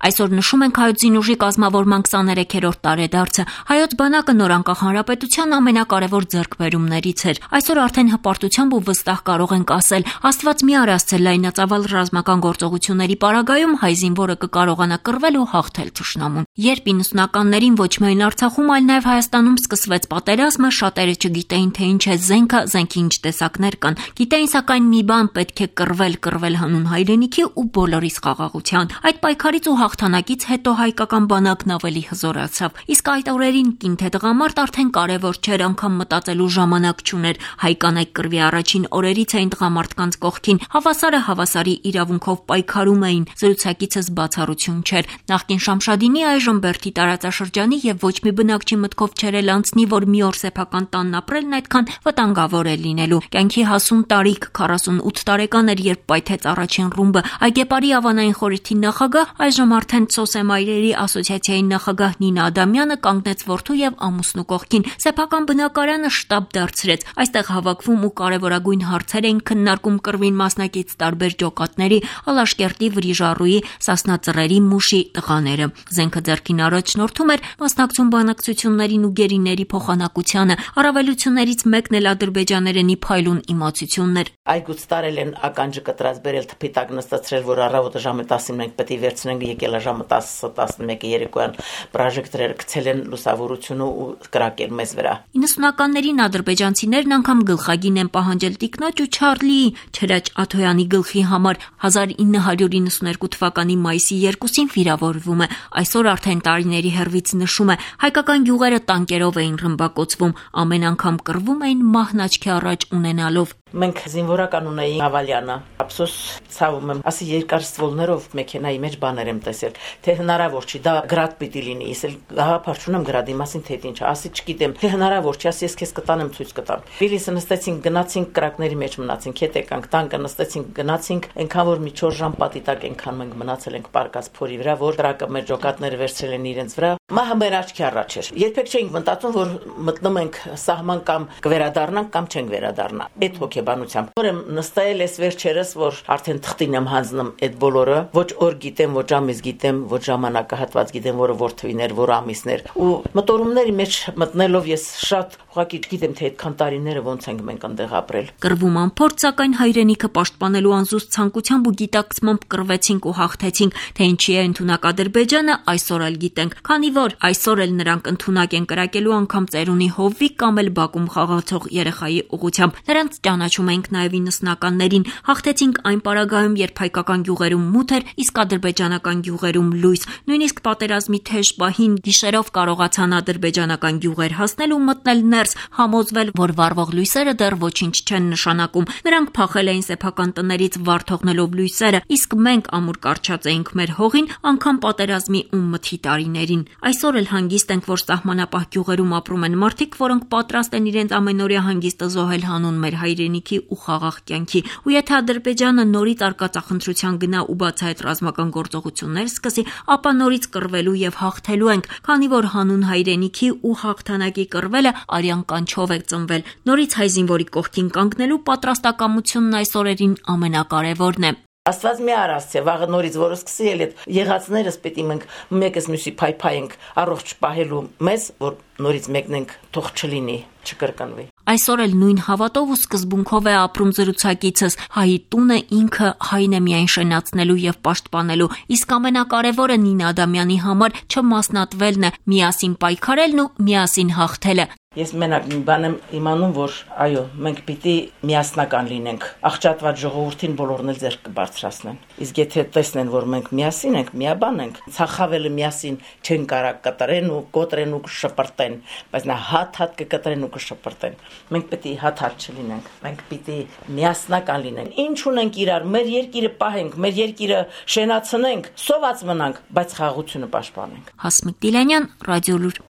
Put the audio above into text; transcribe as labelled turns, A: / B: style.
A: Այսօր նշում ենք հայոց զինուժի կազմավորման 23-րդ տարեդարձը։ Հայոց բանակը նոր անկախ հանրապետության ամենակարևոր ձեռքբերումներից էր։ Այսօր արդեն հպարտությամբ ու վստահ կարող ենք ասել, Աստված մի առասցել լայնածավալ ռազմական գործողությունների պարագայում հայ զինվորը կկարողանա կռվել ու հաղթել թշնամուն։ Երբ 90-ականներին ոչ միայն Արցախում, այլ նաև Հայաստանում սկսվեց պատերազմը, շատերը չգիտեին, թե ինչ է զենքը, զենքի ինչ տեսակներ կան։ Գիտեին սակայն մի բան՝ պետք է կռվել հանուն հայրենիքի ու բոլորիս խաղաղության։ Այդ պայքարից ու հաղթանակից հետո հայկական բանակն ավելի հզորացավ։ Իսկ այդ օրերին կին թե տղամարդ արդեն կարևոր չէր, անգամ մտածելու ժամանակ չուներ։ Հայ կանայք կռվի առաջին օրերից էին տղամարդկանց կողքին, հավասարը հավասարի իրավունքով պայքարում էին, զրուցակիցս բացառություն չէր։ Նախկին Շամշադինի, այժմ Բերդի տարածաշրջանի եւ ոչ մի բնակչի մտքով չէր էլ անցնի, որ մի օր սեփական տանն ապրելն այդքան վտանգավոր է լինելու։ Կյանքի հասուն տարիք 48 տարեկան էր, երբ պայթեց առաջին ռումբը։ Այգեպարի ավանային խորհրդի նախագահ, այժմ արդեն Սոսեմայրերի ասոցիացիայի նախագահ Նինա Ադամյանը կանգնեց որդու եւ ամուսնու կողքին։ Սեփական բնակարանը շտաբ դարձրեց։ Այստեղ հավաքվում ու կարևորագույն հարցեր էին քննարկում կռվին մասնակից տարբեր ջոկատների, Ալաշկերտի, Վրիժառուի, Սասնածռերի, Մուշի տղաները։ Զենքը ձեռքին առաջնորդում էր մասնակցում բանակցություններին ու գերիների փոխանակությանը։ Առավելություններից մեկն էլ ադրբեջաներենի փայլուն իմացությունն էր։
B: Այգուց տարել են ականջը կտրած բերել թփի տակ նստացրել, որ առավոտը ժամը 10-ին մենք պետք է վերցնենք, եկել է ժամը 10-11 երեկոյան պրոժեկտորները գցել են լուսավորությունը ու կրակել մեզ վրա։
A: 90-ականներին ադրբեջանցիներն անգամ գլխագին են պահանջել Տիկնոջ ու Չարլի Չրաչ Աթոյանի գլխի համար։ 1992 թվականի մայիսի 2-ին վիրավորվում է։ Այսօր արդեն տարիների հեռվից նշում է, հայկական գյուղերը տանկերով էին ռմբակոծվում, ամեն անգամ կռվում էին մահն աչքի առաջ ունենալով։
B: Մենք զինվորական ունեինք Ավալյանը, ափսոս ցավում եմ, ասի երկար ստվոլներով մեքենայի մեջ բաներ եմ տեսել, թե հնարավոր չի, դա գրադ պիտի լինի, ես էլ գաղափար չունեմ գրադի մասին, թե ինչ, ասի չգիտեմ, թե հնարավոր չի, ասի ես քեզ կտանեմ ցույց կտամ։ Վիլիսը նստեցինք, գնացինք կրակների մեջ մնացինք, հետ եկանք, տանկը նստեցինք, գնացինք, այնքան որ մի 4 ժամ պատի տակ այնքան մենք մնացել ենք պարկած փորի վրա, որ կրակը մեր ջոկատները վերցրել են իրենց վրա։ Մահը մեր աչքի առաջ էր։ Երբեք չէինք մտածում, որ մտնում ենք սահման կամ կվերադառնանք կամ չենք վերադառնա։ Այդ հոգեբանությամբ։ Որ եմ նստել ես վերջերս, որ արդեն թղթին եմ հանձնում այդ բոլորը, ոչ օր գիտեմ, ոչ ամիս գիտեմ, ոչ ժամանակահատված գիտեմ, որը որ թվիներ, որ ամիսներ։ Ու մտորումների մեջ մտնելով ես շատ ուղղակի չգիտեմ, թե այդքան տարիները ոնց ենք մենք այնտեղ ապրել։
A: Կռվում անփորձ, սակայն հայրենիքը պաշտպանելու անզուսպ ցանկությամբ ու գիտակցմամբ կռվեցինք ու հաղթեցինք, թե ինչի է ընդունակ Ադրբեջանը, այսօր էլ գիտենք, քանի որ այսօր էլ նրանք ընդունակ են կրակելու անգամ ծերունի հովվի կամ էլ Բաքում խաղացող երեխայի ուղղությամբ։ Նրանց ճանաչում ենք նաև 90-ականներին, հաղթեցինք այն պարագայում, երբ հայկական գյուղերում մութ էր, իսկ ադրբեջանական գյուղերում լույս։ Նույնիսկ պատերազմի թեժ պահին գիշերով կարողացան ադրբեջանական գյուղեր հասնել ու մտնել ներս, համոզվել, որ վառվող լույսերը դեռ ոչինչ չեն նշանակում։ Նրանք փախել էին սեփական տներից վառ թողնելով լույսերը, իսկ մենք ամուր կարճած էինք մեր հողին, անգամ պատերազմի ու մթի տարիներին։ Այսօր էլ հանգիստ ենք, որ սահմանապահ գյուղերում ապրում են մարդիկ, որոնք պատրաստ են իրենց ամենօրյա հանգիստը զոհել հանուն մեր հայրենիքի ու խաղաղ կյանքի։ Ու եթե Ադրբեջանը նորից արկածախնդրության գնա ու բացահայտ ռազմական գործողություններ սկսի, ապա նորից կռվելու եւ հաղթելու ենք, քանի որ հանուն հայրենիքի ու հաղթանակի կռվելը արյան կանչով է ծնվել։ Նորից հայ զինվորի կողքին կանգնելու պատրաստակամությունն այս օրերին ամենակարևորն է։
B: Աստված մի առասցե, վաղը նորից որը սկսի էլ այդ եղածներս պետք է մենք մեկս մյուսի փայփայենք առողջ պահելու մեզ, որ նորից մեկնենք թող չլինի, չկրկնվի։
A: Այսօր էլ նույն հավատով ու սկզբունքով է ապրում զրուցակիցս, հայի տունը ինքը հայն է միայն շենացնելու եւ պաշտպանելու, իսկ ամենակարևորը Նինա Ադամյանի համար չմասնատվելն է, միասին պայքարելն ու միասին հաղթելը։
B: Ես մենակ մի բան եմ իմանում, որ այո, մենք պիտի միասնական լինենք։ Աղճատված ժողովրդին բոլորն էլ ձեռք կբարձրացնեն։ Իսկ եթե տեսնեն, որ մենք միասին ենք, միաբան ենք, ցախավելը միասին չեն կարող կտրեն ու կոտրեն ու կշպրտեն, բայց նա հատ կկտրեն ու կշպրտեն։ Մենք պիտի հատ չլինենք։ Մենք պիտի միասնական լինենք։ Ինչ ունենք իրար, մեր երկիրը պահենք, մեր երկիրը շենացնենք, սոված մնանք, բայց խաղաղությունը պաշտպանենք։
A: Հասմիկ Դիլանյան, Ռադիոլուր։